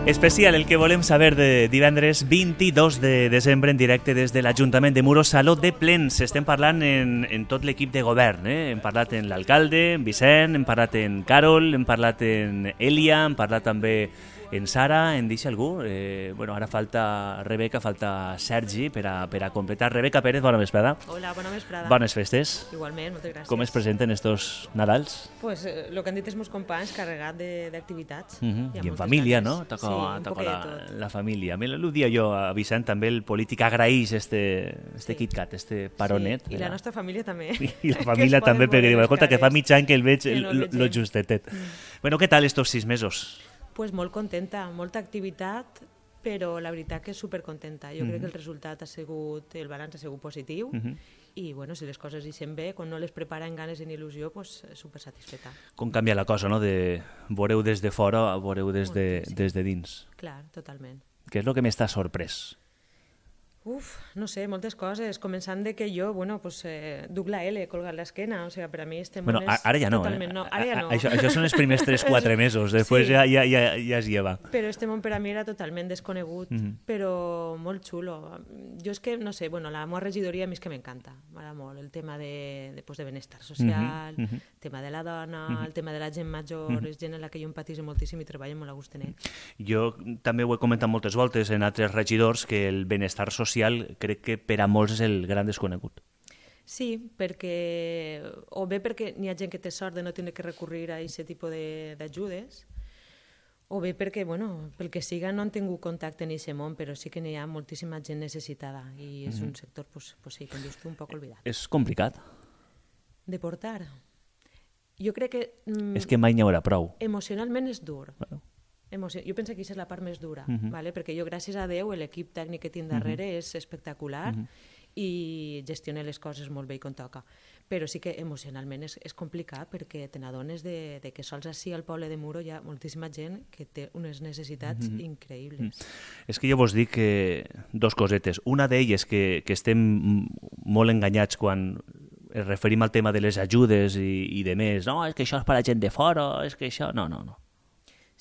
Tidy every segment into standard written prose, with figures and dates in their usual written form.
Especial el que volem saber de divendres 22 de desembre en directe des de l'Ajuntament de Muro, Saló de Plens. Estem parlant en tot l'equip de govern. Hem parlat en l'alcalde, en Vicent, hem parlat en Carol, hem parlat en Elia, hem parlat també en Sara, en deixa algú. Ara falta Rebeca, falta Sergi per a completar. Rebeca Pérez, bona vesprada. Hola, bona vesprada. Bones festes. Igualment, moltes gràcies. Com es presenten estos Nadals? Pues el que han dit els meus companys, carregat d'activitats. I en família, no? Toca la família. L'ho dia jo a Vicent, també el polític agraeix este KitKat, este paronet. I la nostra família també. I la família també, perquè diu, escolta, que fa mig any que el veig lo justetet. Bueno, què tal estos 6 mesos? Pues molt contenta, molta activitat, però la veritat que és supercontenta. Jo crec que el resultat el balanç ha sigut positiu i bueno, si les coses ixen bé, quan no les prepara amb ganes i en il·lusió, pues supersatisfeta. Com canvia la cosa, no? De veureu des de fora a veureu des de dins. Clar, totalment. Què és el que més t'ha sorprès? No sé, moltes coses, començant de que jo, duc la L colgat l'esquena, o sigui, per a mi este món és ara ja no, totalment nou. Ara ja no. Això són els primers 3-4 mesos, després ja es lleva. Però este món per a mi era totalment desconegut, però molt xulo. Jo és que, no sé, la meva regidoria a mi és que m'encanta, m'agrada molt, el tema de benestar social, el tema de la dona, el tema de la gent major, és gent en la que jo empatitzo moltíssim i treballo molt a gust en ell. Jo també ho he comentat moltes voltes en altres regidors, que el benestar social crec que per a molts és el gran desconegut. Sí, o bé perquè n'hi ha gent que té sort de no tenir que recurrir a aquest tipus d'ajudes, o bé perquè, pel que siga, no han tingut contacte en aquest món, però sí que n'hi ha moltíssima gent necessitada i és un sector, sí, com dius tu, un poc oblidat. És complicat? De portar? Jo crec que... És que mai n'hi haurà prou. Emocionalment és dur. Jo penso que aquesta és la part més dura, perquè jo, gràcies a Déu, l'equip tècnic que tinc darrere és espectacular i gestiona les coses molt bé i com toca. Però sí que emocionalment és complicat perquè te n'adones que sols així al poble de Muro hi ha moltíssima gent que té unes necessitats increïbles. És que jo vos dic dos cosetes. Una d'elles que estem molt enganyats quan es referim al tema de les ajudes i de més. No, és que això és per a gent de fora, és que això... No.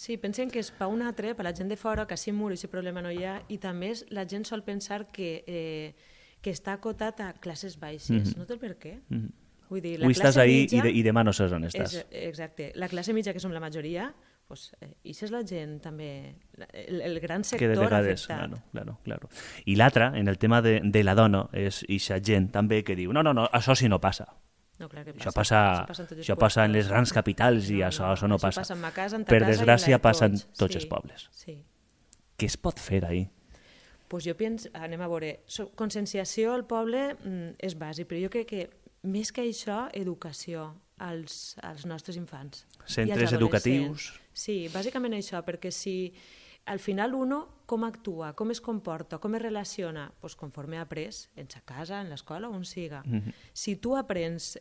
Sí, pensem que és per un altre, per la gent de fora, que així Muro aquest problema no hi ha, i també la gent sol pensar que està acotat a classes baixes. No té el per què. Vull dir, avui estàs ahí i demà no saps on estàs. Exacte. La classe mitja, que som la majoria, això és la gent també, el gran sector afectat. Claro. I l'altre, en el tema de la dona, és aquesta gent també que diu no, això sí no passa. No, clar que passa. Això passa en les grans capitals i això no passa. Passa en ma casa, en ta per casa desgràcia passa en tots sí, els pobles. Sí. Què es pot fer ahir? Pues jo penso, anem a veure, conscienciació al poble és bàsic, però jo crec que més que això, educació als nostres infants. Centres educatius? Sí, bàsicament això, perquè si al final com actua, com es comporta, com es relaciona, conforme ha après, en sa casa, en l'escola, on siga. Si tu aprens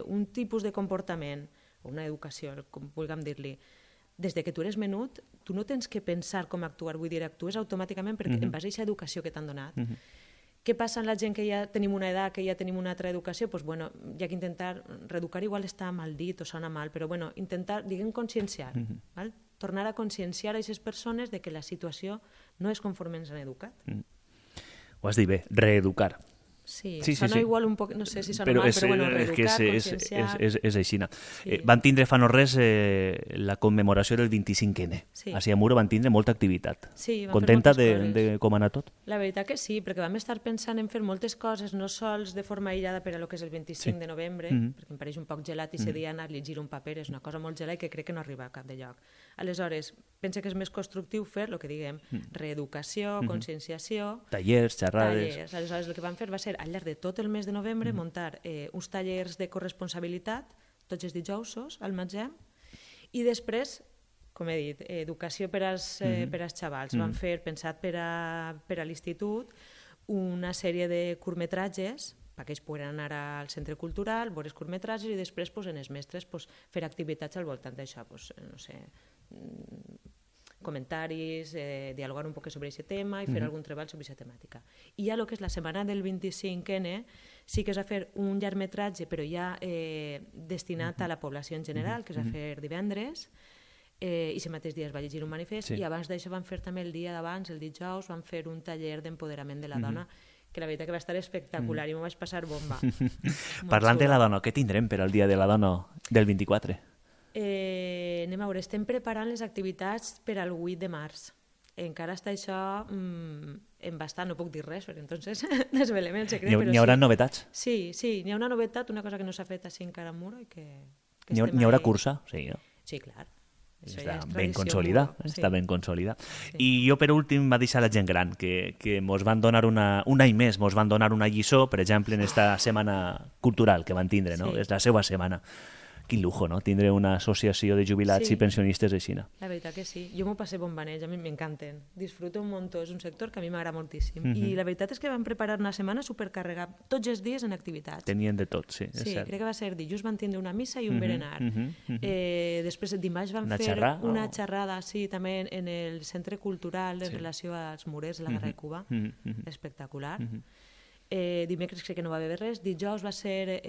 un tipus de comportament, o una educació, com vulguem dir-li, des que tu eres menut, tu no tens que pensar com actuar, vull dir, actues automàticament perquè en base a aquesta educació que t'han donat. Què passa amb la gent que ja tenim una edat, que ja tenim una altra educació? Doncs, hi ha que intentar, reeducar igual està mal dit o sona mal, però intentar, conscienciar, val? Tornar a conscienciar a aquestes persones de que la situació no és conforme ens han educat. Ho has dit bé, reeducar. Sí, sona igual un poc, no sé si sona mal, però reeducar, conscienciar... És aixina. Van tindre fa no res la commemoració del 25N. Així a Muro van tindre molta activitat. Contenta de com ha anat tot? La veritat que sí, perquè vam estar pensant en fer moltes coses, no sols de forma aïllada per a lo que és el 25 de novembre, perquè em pareix un poc gelat i dir anar a llegir un paper, és una cosa molt gelada i que crec que no arriba a cap de lloc. Aleshores, penso que és més constructiu fer el que diguem, reeducació, conscienciació... Tallers, xerrades... Aleshores, el que vam fer va ser, al llarg de tot el mes de novembre, muntar uns tallers de corresponsabilitat, tots els dijousos, al magatzem, i després, com he dit, educació per als xavals. Vam fer, pensat per a l'institut, una sèrie de curtmetratges, perquè ells poden anar al centre cultural, veure els curtmetratges i després, en els mestres, fer activitats al voltant d'això, no sé, comentaris, dialogar un poc sobre aquest tema i fer algun treball sobre aquesta temàtica. I ja el que és la setmana del 25N sí que es va fer un llargmetratge, però ja destinat a la població en general, que es va fer divendres, i aquest mateix dia es va llegir un manifest, Sí. i abans d'això van fer també el dia d'abans, el dijous, van fer un taller d'empoderament de la dona, que la veritat que va estar espectacular i m'ho vaig passar bomba. Parlant de la dona, què tindrem per al Dia de la Dona del 24? Anem a veure, estem preparant les activitats per al 8 de març. Encara està això en bastant, no puc dir res, perquè entonces desvelem el secret, però N'hi haurà novetats? Sí, n'hi ha una novetat, una cosa que no s'ha fet així encara a Muro i que N'hi haurà cursa? Sí, no? Sí, clar. Això Està ja és ben tradició consolida, Muro, està ben consolida. Sí. I jo, per últim, va deixar la gent gran, que mos van donar un any més, mos van donar una lliçó, per exemple, en esta setmana cultural que van tindre, no? Sí. És la seva setmana. Quin lujo, no? Tindre una associació de jubilats Sí. i pensionistes així. La veritat que sí. Jo m'ho passé bomba en ells, a mi m'encanten. Disfruto un muntó, és un sector que a mi m'agrada moltíssim. I la veritat és que van preparar una setmana supercarregada, tots els dies en activitats. Tenien de tot, sí, és Sí, cert. crec que va ser dijous van tindre una missa i un berenar. Després dimarts van Una fer xerrada, una o- xerrada, sí, també en el centre cultural en relació als murers de la Guerra de Cuba. Espectacular. Dimecres crec que no va haver res. Dijous va ser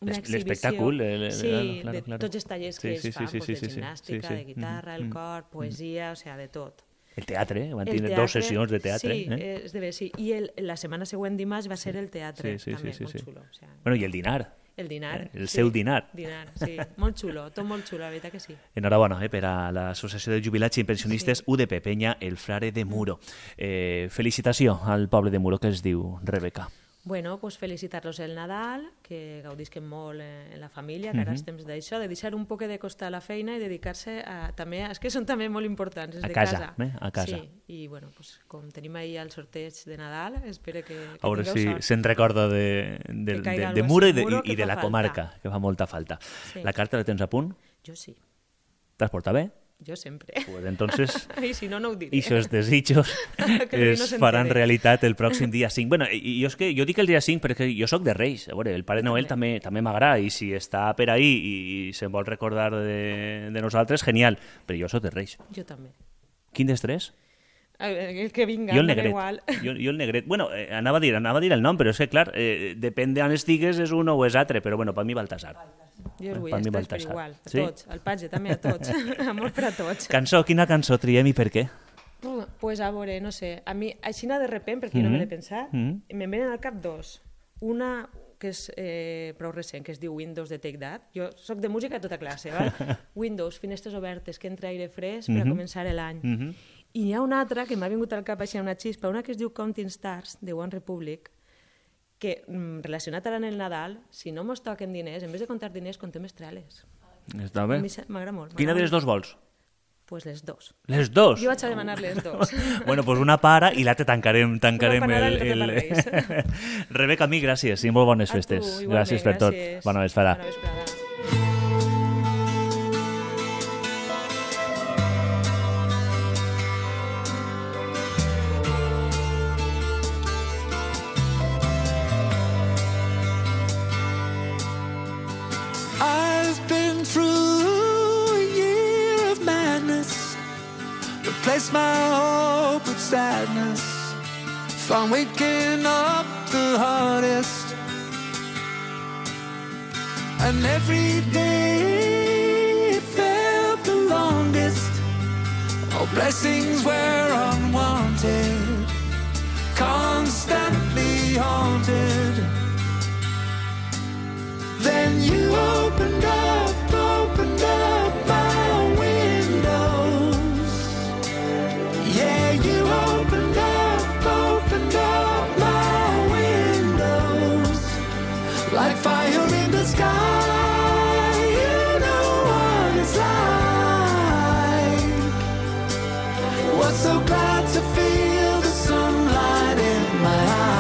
una exhibició... L'espectacle, sí, claro, de claro. tots els tallers que ells fan, de gimnàstica, de guitarra, el cor, poesia, o sigui, de tot. El teatre, van El tindre teatre, dues sessions de teatre. Sí, és de bé, sí. I la setmana següent dimarts va ser el teatre, també, molt xulo. O sigui, Bueno, i el dinar. el dinar. El seu dinar. Dinar, sí. Molt xulo, tot molt xulo, la veritat que sí. Enhorabona per a l'Associació de Jubilats i Pensionistes UDP Penya, el Frare de Muro. Felicitació al poble de Muro, que es diu Rebeca. Bueno, pues felicitar-los el Nadal, que gaudisquen molt en la família, que ara és temps d'això, de deixar un poc de costar la feina i dedicar-se a, també, és que són també molt importants, els A de casa, casa. a casa. Sí, i bueno, pues, com tenim ahir el sorteig de Nadal, espero que A veure tingueu si sort. se'n recorda de caiga de algo Muro i así, Muro, que de fa la falta. comarca, que fa molta falta. Sí. La carta la tens a punt? Jo sí, T'has portat bé? jo sempre. Pues entonces... I si no, no ho diré. I aquests desitjos Que es no s'entere. faran realitat el pròxim dia 5. Bueno, i jo, jo dic el dia 5 perquè jo sóc de Reis. A veure, el Pare Noel també m'agrada i si està per ahí i se'n vol recordar de nosaltres, genial. Però jo sóc de Reis. Jo també. Quin dels tres? El que vinga, Jo el em dona negret. igual. Jo el negret. Bueno, anava a dir el nom, però és que, clar, depèn d'on estigues és un o és altre, però bueno, per mi Baltasar. Jo el vull, Per mi els tres per Baltasar. igual, a Sí? tots, al patge també a tots, amor per a tots. Cançó, quina cançó triem i per què? Pues a veure, no sé, a mi, així de repent, perquè jo no m'he de pensar, me'n venen al cap dos. Una que és prou recent, que es diu Windows de Take That. Jo soc de música de tota classe, val? Windows, finestres obertes, que entra aire fresc per a començar l'any. I n'hi ha una altra que m'ha vingut al cap així una xispa, una que es diu Counting Stars, de One Republic, que relacionat ara en el Nadal, si no mos toquen diners, en vez de comptar diners, contem estrelles. Està A bé? mi m'agrada molt. Quina de les dos vols? Pues les dos. Les dos? Jo vaig a demanar les dos. Bueno, pues una para i l'altra tancarem Una per Nadal i l'altra per Reis. Rebeca, a mi, gràcies i molt bones A tu, festes. igualment, Gràcies per tot. gràcies. Bona vesprada. Bona vesprada. I've been through a year of madness, replaced my hope with sadness, found waking up the hardest, and every day it felt the longest. All blessings were unwanted, constantly haunted. Then you opened up my windows. Yeah, you opened up my windows. Like fire in the sky, you know what it's like. Was so glad to feel the sunlight in my eyes.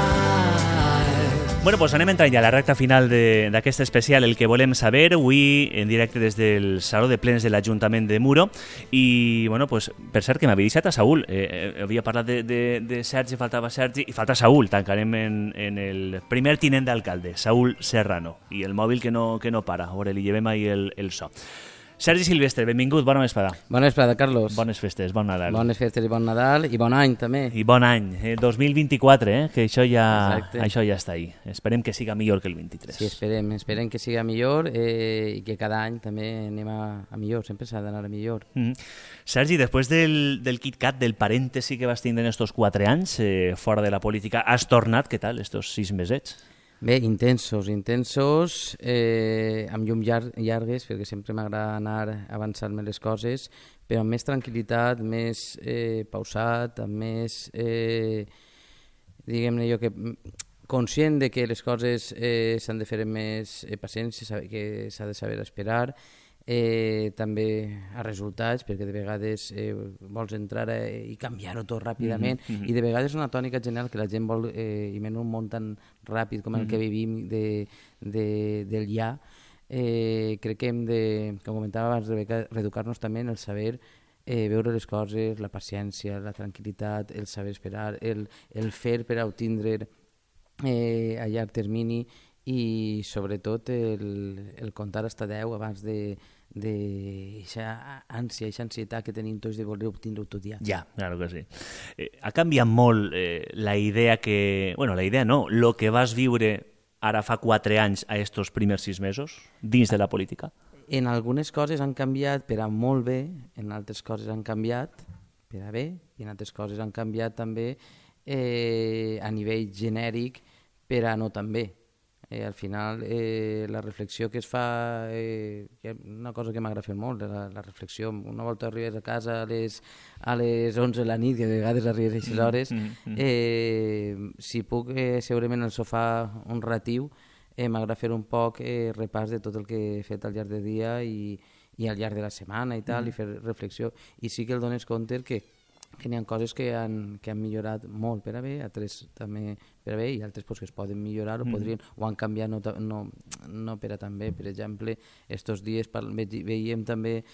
Bueno, pues anem entrant ja a la recta final d'aquest especial, el que volem saber, avui en directe des del Saló de Plens de l'Ajuntament de Muro. I, bueno, pues, per cert, que m'havia deixat a Saúl. Havia parlat de Sergi, faltava Sergi, i falta Saúl. Tancarem en el primer tinent d'alcalde, Saúl Serrano. I el mòbil que no para. A veure, li llevem ahir el so. Sergi Silvestre, benvingut, bona vesprada. Bona vesprada, Carlos. Bones festes, bon Nadal. Bones festes i bon Nadal i bon any, també. I bon any, 2024, que això ja està ahí. Esperem que siga millor que el 23. Sí, esperem que siga millor i que cada any també anem a millor, sempre s'ha d'anar a millor. Sergi, després del KitKat, del parèntesi que vas tindre en estos 4 anys fora de la política, has tornat, què tal, estos 6 mesets? Bé, intensos, amb llum llargues, perquè sempre m'agrada anar avançant-me les coses, però amb més tranquil·litat, més pausat, amb més, diguem-ne jo, que conscient de que les coses s'han de fer amb més paciència, que s'ha de saber esperar, també a resultats, perquè de vegades vols entrar i canviar-ho tot ràpidament, i de vegades és una tònica general que la gent vol, i menys un món tan ràpid com el que vivim del ja, crec que hem de, com comentava abans, Rebeca, reeducar-nos també en el saber veure les coses, la paciència, la tranquil·litat, el saber esperar, el fer per a obtindre a llarg termini, i sobretot el comptar fins a 10 abans d'aquesta ànsia, aquesta ansietat que tenim tots de voler obtindre-ho tot ja. Ja, claro que sí. Ha canviat molt la idea que... Bueno, la idea no, lo que vas viure ara fa 4 anys a estos primers 6 mesos dins de la política? En algunes coses han canviat per a molt bé, en altres coses han canviat per a bé, i en altres coses han canviat també a nivell genèric per a no tan bé. Al final, la reflexió que es fa, una cosa que m'agrada fer molt, la reflexió. Una volta arribes a casa a les 11 de la nit, que a vegades arribes a aquestes hores, si puc seure'm en el sofà un ratiu, m'agrada fer un poc repàs de tot el que he fet al llarg del dia i al llarg de la setmana i tal, i fer reflexió. I sí que el dones compte que n'hi ha coses que han millorat molt per a bé, altres també per a bé, i altres pues, que es poden millorar o han canviat no per a tan bé. Per exemple, estos dies veiem també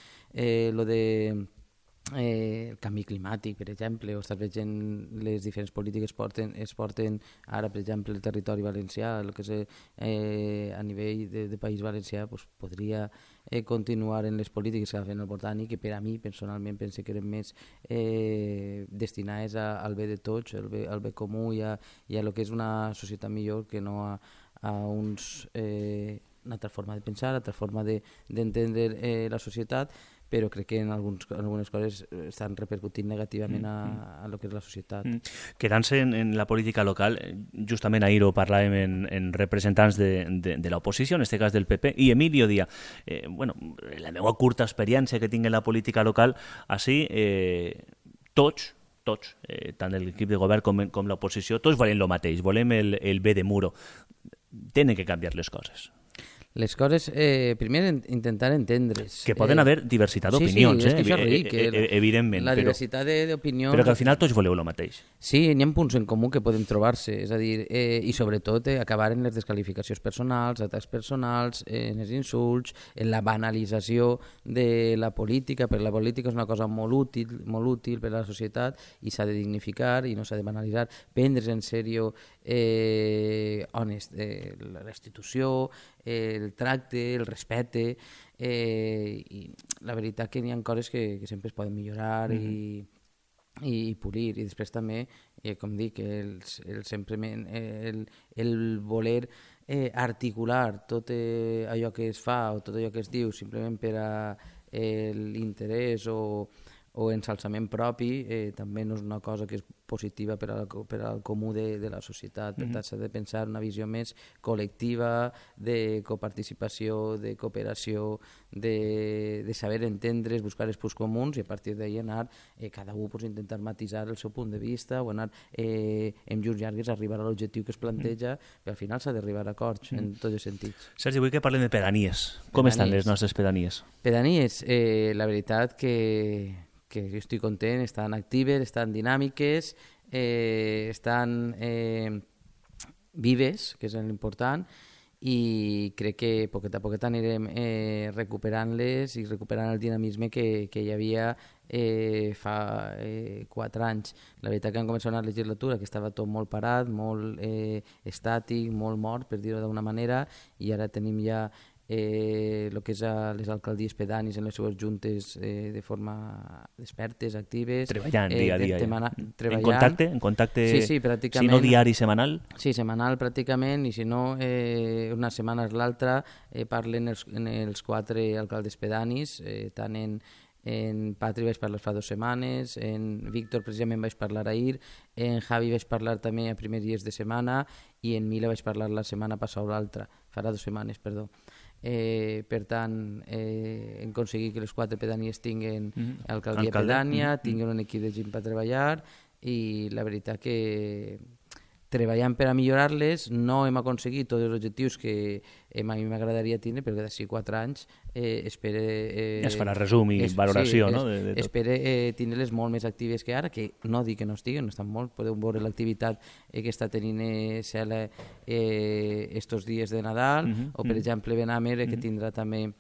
lo de el canvi climàtic, per exemple, o estàs veient les diferents polítiques es porten ara, per exemple, el territori valencià, el que és a nivell de País Valencià, pues, podria continuar en les polítiques que fa fent el Botànic, que per a mi, personalment, pense que eren més destinades al bé de tots, al bé comú i a lo que és una societat millor que no a una altra forma de pensar, una altra forma d'entendre la societat, però crec que en algunes coses estan repercutint negativament a lo que és la societat. Quedant-se en la política local, justament ahir ho parlàvem en representants de l'oposició, en aquest cas del PP, i Emilio dia, la meva curta experiència que tinc en la política local, així, tots, tant l'equip de govern com l'oposició, tots volem el mateix, volem el bé de Muro. Tenen que canviar les coses. Les coses, primer, intentar entendre's. Que poden haver diversitat d'opinions, sí, és que això és ric, evidentment. La diversitat d'opinions... Però que al final tots voleu el mateix. Sí, n'hi ha punts en comú que podem trobar-se, és a dir, i sobretot acabar en les desqualificacions personals, atacs personals, en els insults, en la banalització de la política, perquè la política és una cosa molt útil per a la societat i s'ha de dignificar i no s'ha de banalitzar, prendre's en sèrio la institució, el tracte, el respecte, i la veritat que n'hi ha coses que sempre es poden millorar i polir, i després també, com dic, el voler articular tot allò que es fa o tot allò que es diu simplement per a l'interès o ensalçament propi, també no és una cosa que és positiva per al comú de la societat. Per tant, s'ha de pensar una visió més col·lectiva, de coparticipació, de cooperació, de saber entendre's, buscar els punts comuns i a partir d'ahir anar, cada un intentar matisar el seu punt de vista o anar amb llurs llargues a arribar a l'objectiu que es planteja, però al final s'ha d'arribar a acords en tots els sentits. Sergi, vull que parlem de pedanies. Com estan les nostres pedanies? Pedanies, la veritat que jo estic content, estan actives, estan dinàmiques, estan vives, que és l'important, i crec que poquet a poquet anirem recuperant-les i recuperant el dinamisme que hi havia fa 4 anys. La veritat que han començat una legislatura que estava tot molt parat, molt estàtic, molt mort, per dir-ho d'alguna manera, i ara tenim ja el que és a les alcaldies pedanis en les seves juntes de forma expertes, actives. Treballant dia a dia. Treballant. En contacte, sí, pràcticament. Si no diari, setmanal? Sí, setmanal pràcticament, i si no, una setmana és l'altra, parlen els 4 alcaldes pedanis, tant en Patri vaig parlar fa 2 setmanes, en Víctor precisament vaig parlar ahir, en Javi vaig parlar també a primers dies de setmana i en Mila vaig parlar la setmana passada o l'altra, farà 2 setmanes, perdó. Per tant, hem aconseguit que les 4 pedanies tinguin alcaldia pedània, tinguin un equip de gent per treballar, i la veritat que treballant per a millorar-les no hem aconseguit tots els objectius que a mi m'agradaria tindre, perquè d'ací 4 anys espero... Es farà resum i valoració, no? Espero tindre-les molt més actives que ara, que no dic que no estiguen, no estan molt, podeu veure l'activitat que està tenint Cela estos dies de Nadal, o per exemple Benamer, que tindrà també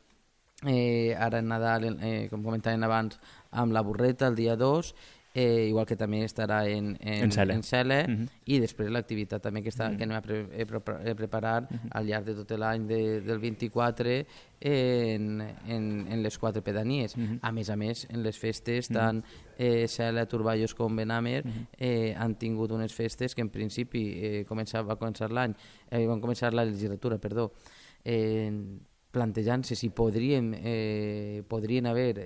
ara en Nadal, com comentàvem abans, amb la burreta el dia 2, igual que també estarà en Cela, i després l'activitat també que anem a preparar al llarg de tot l'any del 24 en les 4 pedanies. A més, en les festes, tant Cela, Turballos com Benamer han tingut unes festes que en principi va començar la legislatura, plantejant-se si podrien haver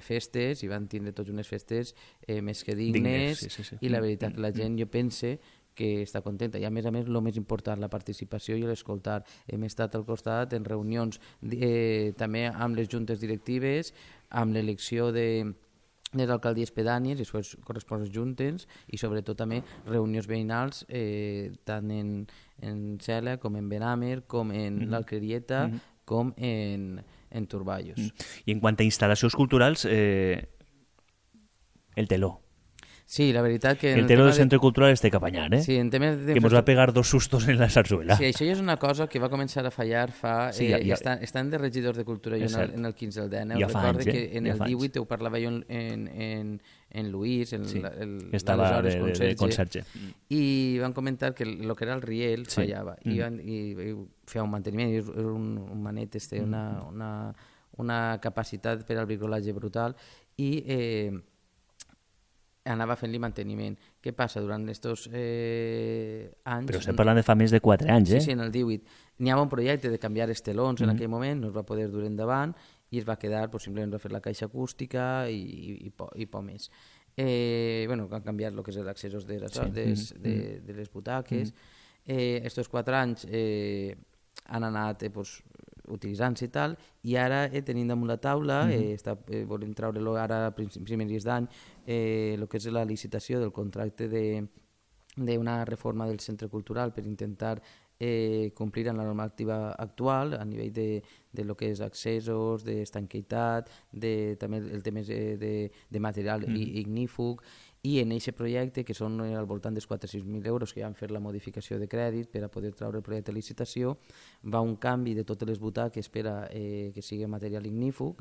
festes, i van tindre tots unes festes més que dignes, i la veritat que la gent, jo pense que està contenta, i a més, el més important, la participació i l'escoltar. Hem estat al costat en reunions també amb les juntes directives, amb l'elecció de les alcaldies pedànies i les corresponents juntes, i sobretot també reunions veïnals tant en Cela com en Benamer, com en l'Alquerieta, com en Turballos. I en quant a instal·lacions culturals, el teló. Sí, la veritat que... El teló del Centre Cultural té que apanyar, Sí, en temes de... Que ens va pegar 2 sustos en la zarzuela. Sí, això ja és una cosa que va començar a fallar fa... Estan de regidors de cultura jo en el 15 al 19. Ja fa anys, que en el 18 ho parlava jo en Luís, estava de conserge. I van comentar que el que era el riel fallava, i feia un manteniment, era un manet, una capacitat per al bricolatge brutal, i anava fent-li manteniment. Què passa? Durant aquests anys... Però estem parlant de fa més de 4 anys, Sí, en el 18. N'hi havia un projecte de canviar els telons en aquell moment, no es va poder dur endavant, i es va quedar, simplement va fer la caixa acústica i poc més. Han canviat el que és l'accessos de les butaques. Estos 4 anys han anat utilitzant-se i tal, i ara tenim damunt la taula, volem treure-lo ara a primers dies d'any, el que és la licitació del contracte d'una reforma del centre cultural per intentar complir amb la normativa actual a nivell de lo que és accessos, d'estanquitat, també el tema de material ignífug, i en aquest projecte, que són al voltant dels 400.000 euros que han fet la modificació de crèdit per a poder treure el projecte de licitació, va un canvi de totes les butaques per a que sigui material ignífug.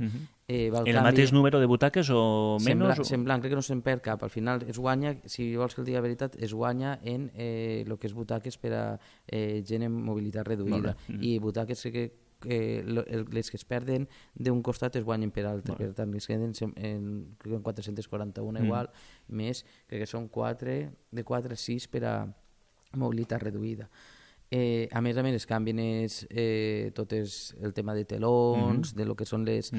El mateix número de butaques o menys? Semblant, crec que no se'n perd cap. Al final es guanya, si vols que el digui la veritat, es guanya en el que és butaques per a gent amb mobilitat reduïda. I butaques que les que es perden d'un costat es guanyen per altre, per tant es queden en 441 igual, més crec que són 4 a 6 per a mobilitat reduïda. A més es canvien tot el tema de telons, de lo que són les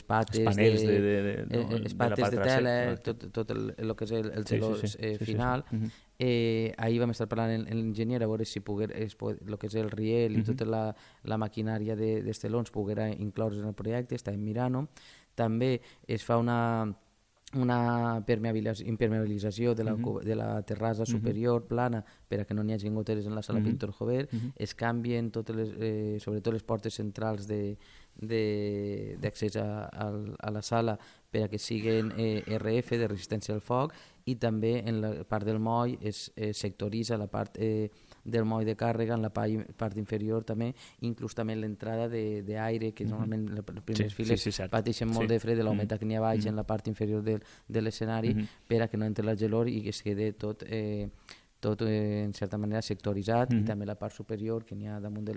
pates de tela, tot el que és el teló final. Ahir vam estar parlant amb l'enginyer a veure si el que és el riel i tota la maquinària dels telons poguera incloure en el projecte, estàvem mirant-ho. També es fa una impermeabilització de la terrassa superior plana per a que no n'hi hagi goteres en la sala Pintor Jover. Es canvien sobretot les portes centrals d'accés a la sala per a que siguin RF, de resistència al foc, i també en la part del moll es sectoritza la part del moll de càrrega en la part inferior també, inclús també l'entrada d'aire, que normalment les primeres files pateixen molt de fred de la humitat que n'hi ha baix en la part inferior de l'escenari, per a que no entre la gelor i que es quede tot tot en certa manera sectoritzat, i també la part superior que n'hi ha damunt de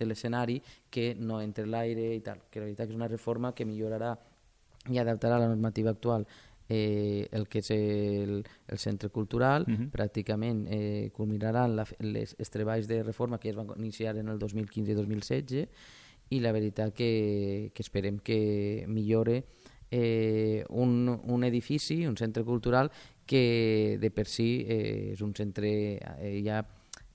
l'escenari, que no entre l'aire i tal, que la veritat que és una reforma que millorarà i adaptarà a la normativa actual el que és el centre cultural. Pràcticament culminaran els treballs de reforma que es van iniciar en el 2015 i 2016, i la veritat que esperem que millore un edifici, un centre cultural que de per si és un centre ja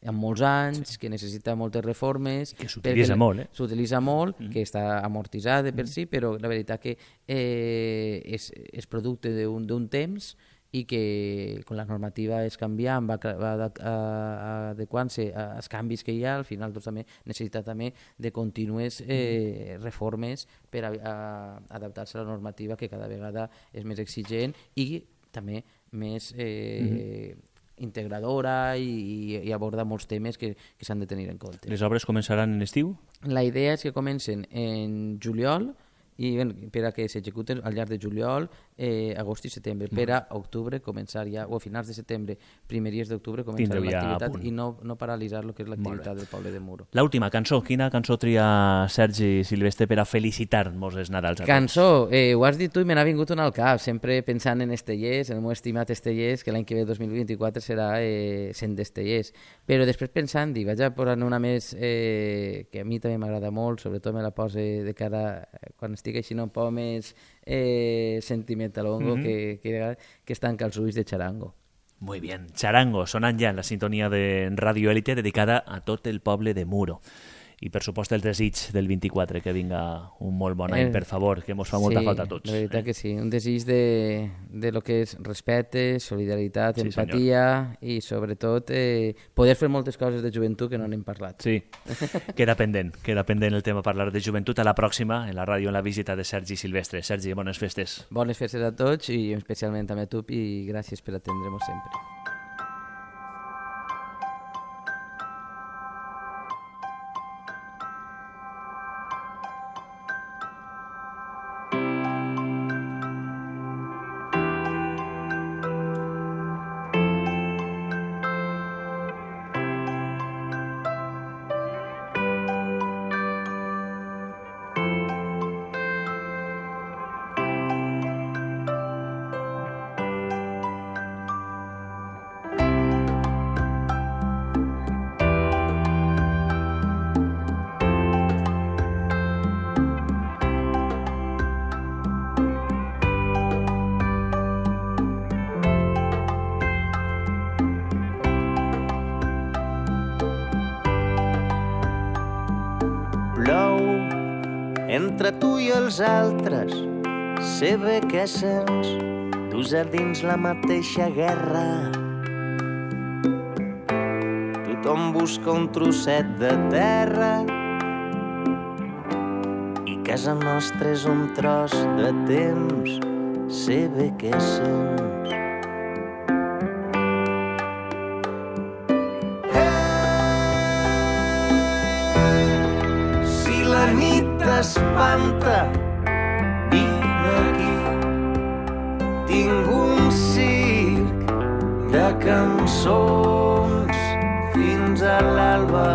amb molts anys, que necessita moltes reformes, que s'utilitza molt, s'utilitza molt, que està amortitzat de per si, però la veritat que és producte d'un temps i que quan la normativa és canviant, va adequant-se als canvis que hi ha, al final doncs, també necessita també de contínues reformes per adaptar-se a la normativa, que cada vegada és més exigent i també més integradora i aborda molts temes que s'han de tenir en compte. Les obres començaran en estiu? La idea és que comencen en juliol, i per a que s'executen al llarg de juliol, agost i setembre. Per a octubre començar ja, o a finals de setembre, primeries d'octubre, començar l'activitat i no paralitzar el que és l'activitat del poble de Muro. L'última cançó, quina cançó tria Sergi Silvestre per a felicitar-nos els Nadals a tots? Cançó, ho has dit tu i me n'ha vingut una al cap, sempre pensant en Estellers, en el meu estimat Estellers, que l'any que ve, 2024, serà 100 d'Estellers. Però després pensant, vaig a posar una més que a mi també m'agrada molt, sobretot me la poso de cara quan estic així un poc més sentimentalongo, que es tanca els ulls de Charango. Muy bien, Charango, sonant ja en la sintonia de Radio Élite, dedicada a tot el poble de Muro. I per supost el desig del 24, que vinga un molt bon any, per favor, que mos fa molta falta a tots. La veritat que sí, un desig de lo que és respecte, solidaritat, empatia i sobretot poder fer moltes coses de joventut que no n'hem parlat. Sí, queda pendent el tema parlar de joventut. A la pròxima, en la ràdio, en la visita de Sergi Silvestre. Sergi, bones festes. Bones festes a tots i especialment també a tu, i gràcies per atendre'ns sempre. Entre tu i els altres, sé bé que sents, dus a dins la mateixa guerra. Tothom busca un trosset de terra i casa nostra és un tros de temps, sé bé que sents. La nit t'espanta, vine aquí. Tinc un circ de cançons fins a l'alba.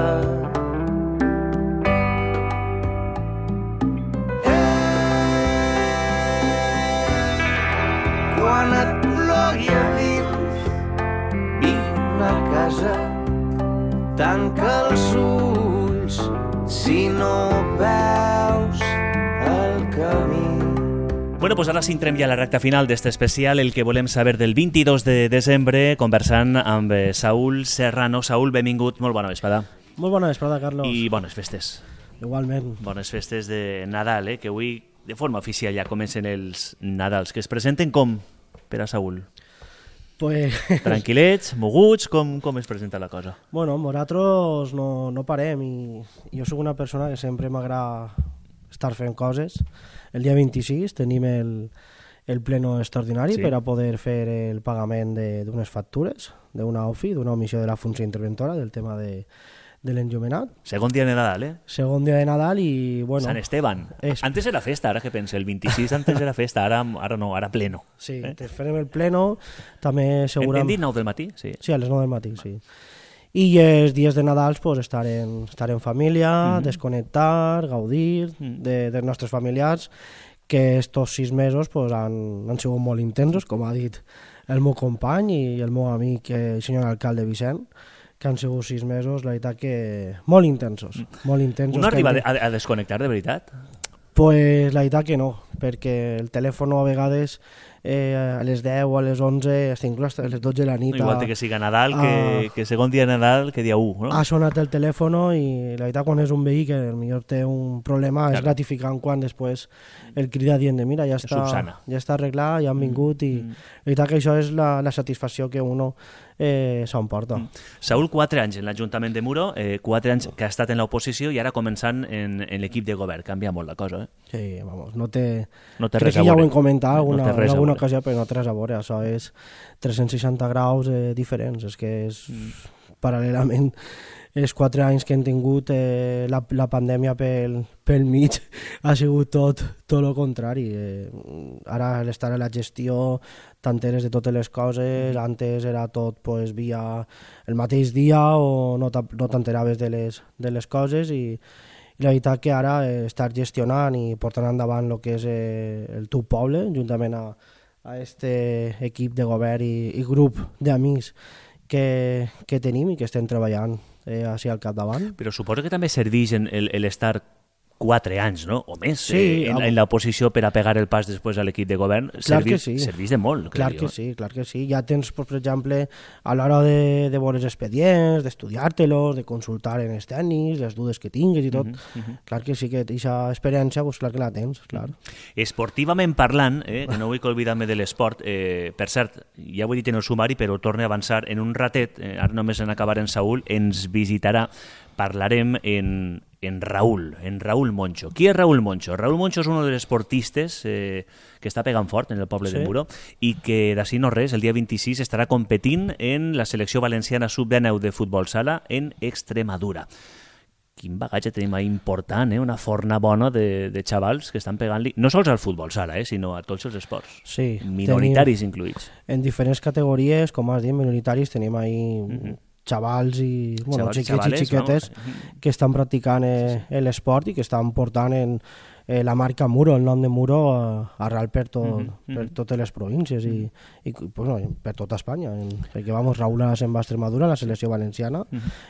Quan et plogui a dins, vine a casa, tanca els ulls si no veus el camí. Bueno, pues ara s'intrem ja a la recta final d'este especial, el que volem saber del 22 de desembre, conversant amb Saúl Serrano. Saúl, benvingut, molt bona vesprada. Molt bona vesprada, Carlos. I bones festes. Igualment. Bones festes de Nadal, que avui de forma oficial ja comencen els Nadals, que es presenten com per a Saúl? Pues... Tranquil·lets, moguts, com es presenta la cosa? Bueno, nosaltres no parem i jo sóc una persona que sempre m'agrada estar fent coses. El dia 26 tenim el pleno extraordinari per a poder fer el pagament d'unes factures, d'una OFI, d'una omissió de la funció interventora, del tema de l'enllumenat. Segon dia de Nadal, eh? Segon dia de Nadal i, bueno... Sant Esteban. Antes era festa, ara que penso, el 26 antes era festa, ara no, ara pleno. Sí, farem el pleno, també segurament... Hem dit 9 del matí? Sí. Sí, a les 9 del matí, sí. I els dies de Nadal pues, estar en família, desconnectar, gaudir dels nostres familiars, que estos 6 mesos pues, han sigut molt intensos, com ha dit el meu company i el meu amic, el senyor alcalde Vicent, que han sigut 6 mesos, la veritat que molt intensos. Molt intensos. Uno arriba a desconnectar de veritat? Pues la veritat que no, perquè el telèfon a vegades a les 10 o a les 11, inclús a les 12 de la nit... Igual que siga Nadal, que segon dia de Nadal, que dia 1, no? Ha sonat el telèfon i la veritat quan és un veí que potser té un problema és gratificant quan després el crida dient de mira, ja està arreglat, ja han vingut i la veritat que això és la satisfacció que uno s'emporta. Saúl, 4 anys en l'Ajuntament de Muro, 4 anys que ha estat en l'oposició i ara començant en l'equip de govern. Canvia molt la cosa, eh? Sí, vamos, no té res crec que a ja ho veure. hem comentat No té res a alguna veure. ocasió, però no té res a veure. Això és 360 graus diferents. És que és paral·lelament els 4 anys que hem tingut la pandèmia pel mig ha sigut tot el contrari. Ara l'estar a la gestió t'enteres de totes les coses, antes era tot pues, via el mateix dia o no t'enteraves de les coses i la veritat que ara estar gestionant i portant endavant el que és el teu poble, juntament a este equip de govern i grup d'amics que tenim i que estem treballant així al capdavant. Però suposo que també serveix l'estar 4 anys, no? O més, Sí, en l'oposició per a pegar el pas després a l'equip de govern. Clar que sí. Serveix de molt, Clar que sí, clar que sí. Ja tens, per exemple, a l'hora de veure els expedients, d'estudiar-te-los, de consultar en els tècnics, les dudes que tinguis i tot. Clar que sí, que aquesta experiència, pues, clar que la tens, clar. Esportivament parlant, que no vull que oblidar-me de l'esport, per cert, ja ho he dit en el sumari, però torno a avançar en un ratet, ara només en acabar en Saúl, ens visitarà, parlarem en Raúl Moncho. Qui és Raúl Moncho? Raúl Moncho és un dels esportistes que està pegant fort en el poble de Muro i que d'ací no res, el dia 26 estarà competint en la selecció valenciana sub-19 de futbol sala en Extremadura. Quin bagatge tenim ahí important, una forna bona de xavals que estan pegant-li, no sols al futbol sala, sinó a tots els esports, Sí, minoritaris incluïts. En diferents categories, com has dit, minoritaris, tenim ahí xavals i xiquets i xiquetes que estan practicant l'esport i que estan portant la marca Muro, el nom de Muro arrel per totes les províncies i per tota Espanya, perquè Raúl ara se'n va a Extremadura, la selecció valenciana,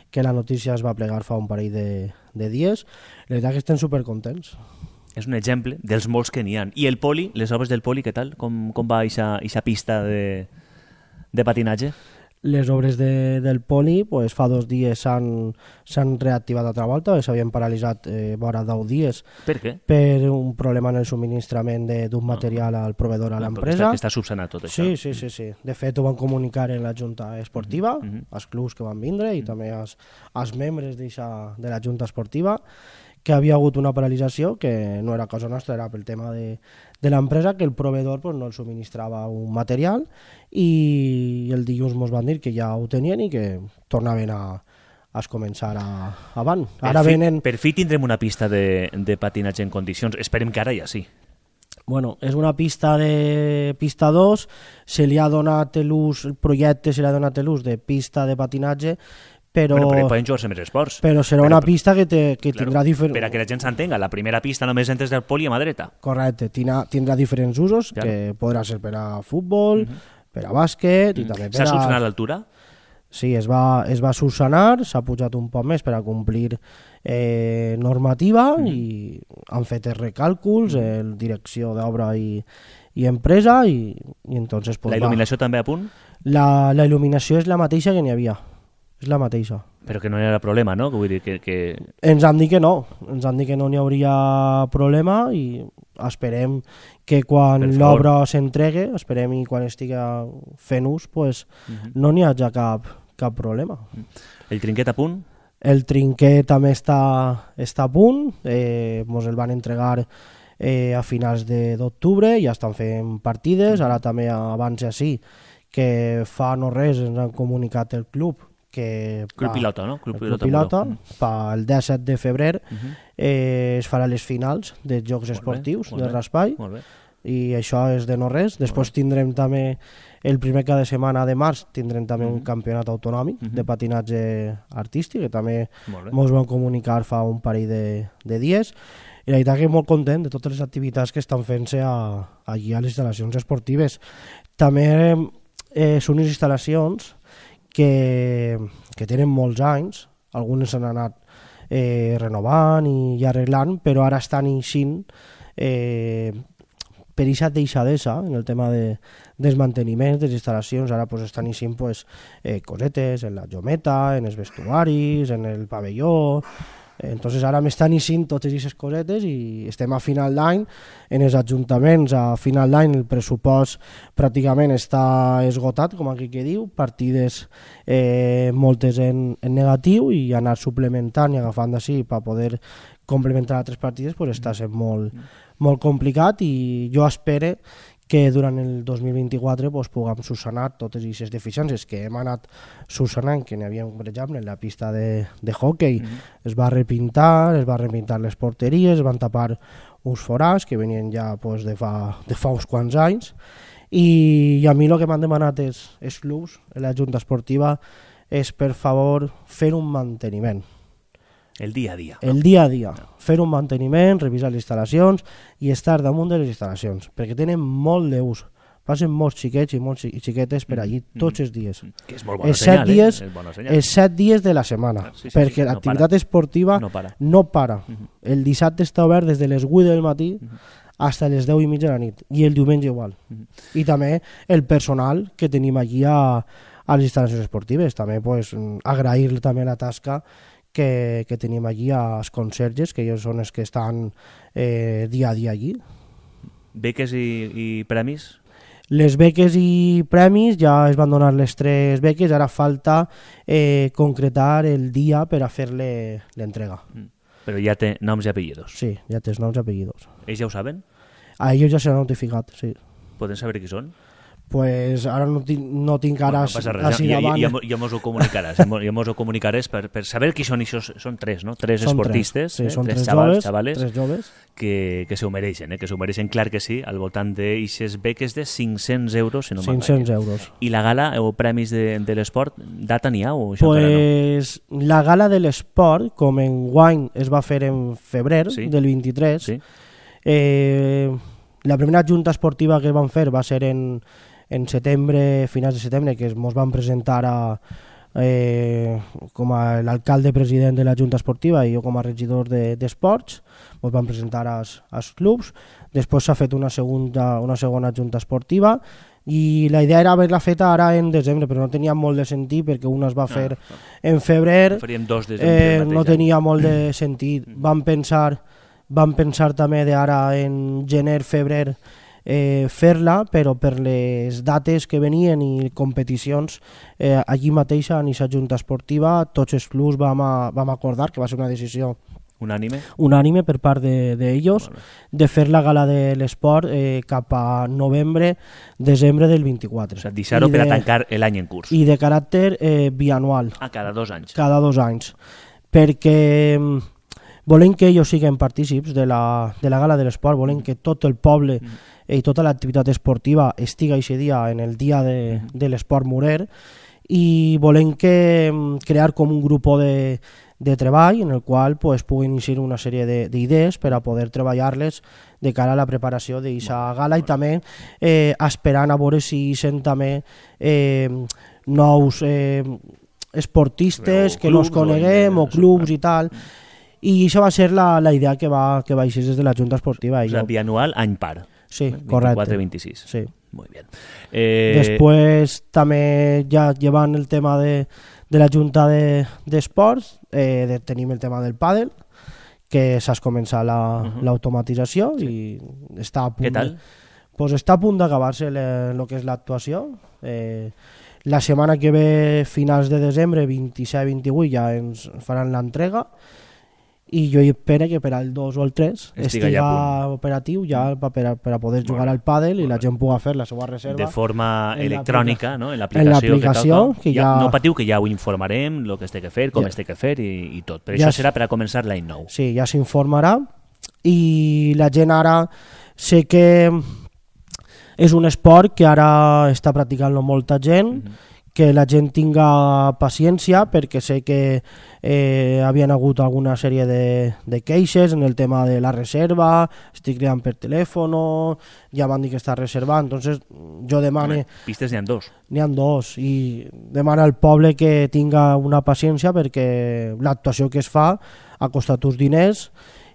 que la notícia es va plegar fa un parell de dies. La veritat que estem supercontents. És un exemple dels molts que n'hi ha. I el poli, les obres del poli, què tal? Com va aquesta pista de patinatge? Les obres del poli pues, fa 2 dies s'han reactivat altra volta, s'havien paralitzat vora 10 dies. Per què? Per un problema en el subministrament d'un material al proveedor a l'empresa. Que està subsanat tot això. Sí. De fet, ho van comunicar en la Junta Esportiva, als clubs que van vindre i també als membres de la Junta Esportiva, que havia hagut una paralització, que no era cosa nostra, era pel tema de l'empresa, que el proveedor pues, no el subministrava un material i el dilluns ens van dir que ja ho tenien i que tornaven a començar avant. Per fi tindrem una pista de patinatge en condicions. Esperem que ara ja sí. Bueno, és una pista de pista 2, se li ha donat l'ús, el projecte se li ha donat l'ús de pista de patinatge, però poden jugar-se més esports. Però serà una pista que tindrà diferents... Per a que la gent s'entenga, la primera pista només entres del poli a mà dreta. Correcte, tindrà diferents usos, que podrà ser per a futbol, per a bàsquet i també per a... S'ha subsanat l'altura? Sí, es va subsanar, s'ha pujat un poc més per a complir normativa i han fet els recàlculs, direcció d'obra i empresa i entonces... La il·luminació també a punt? La il·luminació és la mateixa que n'hi havia. És la mateixa. Però que no hi ha problema, no? Vull dir que... Ens han dit que no. Ens han dit que no n'hi hauria problema i esperem que quan l'obra s'entregue, esperem i quan estigui fent ús, pues, no n'hi hagi cap problema. El trinquet a punt? El trinquet també està a punt. Ens el van entregar a finals d'octubre, ja estan fent partides. Ara també abans així, que fa no res ens han comunicat el club Club Pilota, no? Club Pilota, el 17 de febrer es farà les finals dels Jocs Esportius de Raspai, i això és de no res. Després tindrem també el primer cada setmana de març, tindrem també un campionat autonòmic de patinatge artístic, que també ens van comunicar fa un parell de dies. I la veritat que molt content de totes les activitats que estan fent-se allí a les instal·lacions esportives. També són unes instal·lacions que tenen molts anys, algunes s'han anat renovant i arreglant, però ara estan eixint per aquesta deixadesa en el tema dels manteniments de les instal·lacions. Ara estan eixint cosetes en la jometa, en els vestuaris, en el pavelló. Entonces ara m'estan eixint totes aquestes cosetes i estem a final d'any. En els ajuntaments a final d'any el pressupost pràcticament està esgotat, com aquí que diu, partides moltes en negatiu, i anar suplementant i agafant d'ací per poder complementar altres partides està sent molt complicat, i jo espero que durant el 2024 puguem subsanar totes aquestes deficiències que hem anat subsanant, que n'hi havia, per exemple, en la pista de hockey. Es va repintar les porteries, es van tapar uns forats que venien ja de fa uns quants anys, i a mi el que m'han demanat els clubs, la Junta Esportiva, és per favor fer un manteniment. El dia a dia. El dia a dia. Fer un manteniment, revisar les instal·lacions i estar damunt de les instal·lacions, perquè tenen molt d'ús. Passen molts xiquets i molts xiquetes per allí tots els dies. Que és molt bona senyal, Els 7 dies de la setmana, perquè l'activitat esportiva no para. El dissabte està obert des de les 8 del matí fins a les 10 i mitja de la nit, i el diumenge igual. I també el personal que tenim allí a les instal·lacions esportives. També agrair també la tasca que tenim allí als conserges, que ells són els que estan dia a dia allí. Beques i premis? Les beques i premis, ja es van donar les 3 beques, ara falta concretar el dia per a fer-le l'entrega. Però ja té noms i apellidos? Sí, ja té noms i apellidos. Ells ja ho saben? A ells ja s'ha notificat, sí. Poden saber qui són? Pues ara no tinc ara així davant. Ja mos ho comunicaràs, per saber qui són. Són 3, no? 3 esportistes, són 3 xavales que s'ho mereixen, que s'ho mereixen, clar que sí, al voltant d'aixes beques de 500 euros, si no m'enganya. 500 euros. I la gala o premis de l'esport, data n'hi ha o això pues no? La gala de l'esport, com enguany es va fer en febrer del 23, la primera junta esportiva que van fer va ser en setembre, finals de setembre, que ens van presentar com a l'alcalde president de la Junta Esportiva i jo com a regidor d'esports, ens van presentar als clubs. Després s'ha fet una segona Junta Esportiva i la idea era haver-la feta ara en desembre, però no tenia molt de sentit perquè una es va fer en febrer, no tenia molt de sentit. Van pensar també d'ara en gener, febrer, fer-la, però per les dates que venien i competicions allí mateix a aquesta Junta Esportiva tots els clubs vam acordar, que va ser una decisió unànime per part d'ells, de fer la gala de l'esport cap a novembre, desembre del 24. O sigui, deixar-ho per a tancar l'any en curs. I de caràcter bianual. Cada 2 anys. Cada 2 anys. Perquè volem que ells siguin partícips de la gala de l'esport, volem que tot el poble i tota l'activitat esportiva estigui aquest dia en el dia de l'esport murer, i volem crear com un grup de treball en el qual puguin iniciar una sèrie d'idees per a poder treballar-les de cara a la preparació d'aquesta gala, i també esperant a veure si hi també nous esportistes que no es coneguem o clubs i tal. I això va ser la idea que va eixir des de la Junta Esportiva. O sigui, bianual, any par. Sí, correcte. 24-26. Sí. Muy bien. Després també ja llevant el tema de la Junta d'Esports, tenim el tema del pàdel, que s'ha començat l'automatització i està a punt. Què tal? Pues està a punt d'acabar-se el que és l'actuació. La setmana que ve, finals de desembre, 27-28, ja ens faran l'entrega. i jo espero que per al 2 o el 3 Estiga ja estiga operatiu ja per a poder jugar al pàdel i la gent pugui fer la seva reserva de forma en electrònica, no? En en l'aplicació, que que ja... ja- No patiu, que ja ho informarem, el que es té que fer, com Ja. es té que fer i tot. Però Ja això serà per a començar l'any nou. Sí, ja s'informarà i la gent ara sé que és un esport que ara està practicant-lo molta gent, que la gent tinga paciència perquè sé que havien hagut alguna sèrie de queixes en el tema de la reserva, estic cridant per telèfon, ja m'han dit que està reservat, entonces jo demane... Pistes n'hi ha 2. N'hi ha 2 i demana al poble que tinga una paciència perquè l'actuació que es fa ha costat uns diners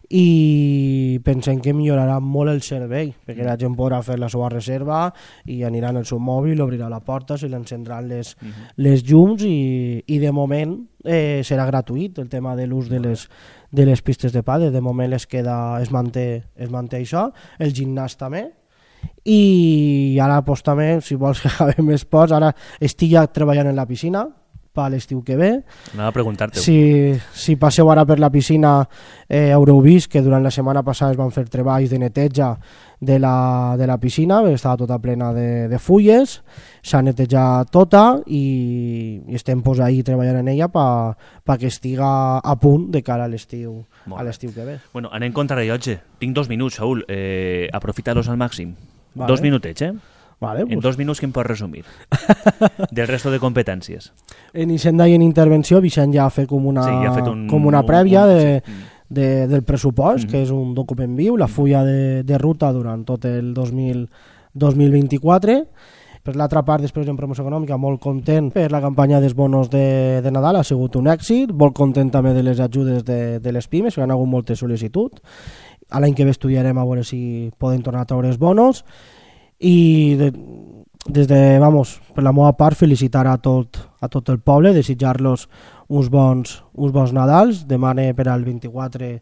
i pensem que millorarà molt el servei perquè la gent podrà fer la seva reserva i anirà en el seu mòbil, obrirà la porta, se li encendran les llums i de moment serà gratuït el tema de l'ús de les pistes de pàdel. De moment es manté això, el gimnàs també. I ara pues, també, si vols que acabem esports, ara estic ja treballant en la piscina per l'estiu que ve. Anava a preguntar-te. Si passeu ara per la piscina haureu vist que durant la setmana passada es van fer treballs de neteja de la piscina, estava tota plena de fulles, s'ha netejat tota i estem pues, ahí treballant en ella perquè estiga a punt de cara a l'estiu que ve. Bueno, anem contra rellotge. Tinc 2 minuts, Saúl. Aprofita-los al màxim. Vale. 2 minutets, Vale, En 2 minuts, què em pots resumir? Del resto de competències. En Hisenda i en intervenció, Vicent ja ha fet com una, Sí, ja ha fet com una prèvia sí. del pressupost, que és un document viu, la fulla de ruta durant tot el 2024. Per l'altra part, després en promoció econòmica, molt content per la campanya dels bonos de Nadal, ha sigut un èxit, molt content també de les ajudes de les pimes, que han hagut moltes sol·licituds. A l'any que ve estudiarem a veure si poden tornar a treure els bonos i des de, per la meva part, felicitar a tot el poble, desitjar-los uns bons Nadals, demane per al 24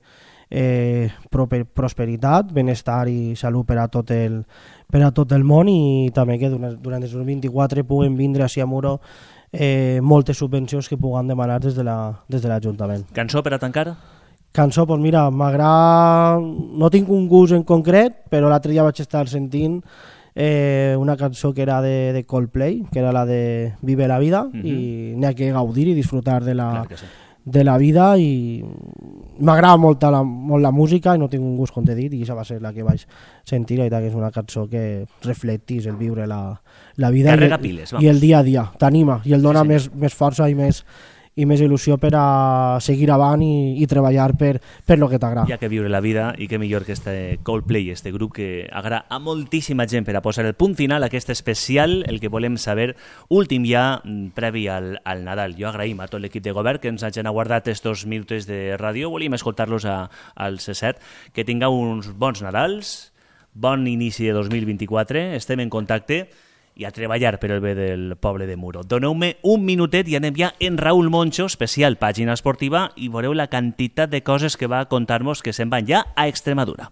prosperitat, benestar i salut per a tot el món i també que durant el 2024 puguen vindre així a Muro moltes subvencions que puguen demanar des de l'Ajuntament. Cançó per a tancar? Cançó, doncs mira, m'agrada... No tinc un gust en concret, però l'altre dia vaig estar sentint una cançó que era de Coldplay, que era la de Vive la vida, i n'hi ha que gaudir i disfrutar de la vida i m'agrada molt la música i no tinc un gust, com t'he dit, i aquesta va ser la que vaig sentir, i que és una cançó que reflectís el viure la vida i el dia a dia, t'anima i el dona més força i més il·lusió per a seguir avant i treballar per lo que t'agrada. Hi ha que viure la vida i que millor que este Coldplay, este grup que agrada a moltíssima gent per a posar el punt final a aquest especial, el que volem saber últim ja previ al Nadal. Jo agraïm a tot l'equip de govern que ens hagin aguardat estos minuts de ràdio, volíem escoltar-los al C7, que tingueu uns bons Nadals, bon inici de 2024, estem en contacte i a treballar per el bé del poble de Muro. Doneu-me un minutet i anem ja en Raúl Moncho, especial pàgina esportiva, i veureu la quantitat de coses que va contar-nos que se'n van ja a Extremadura.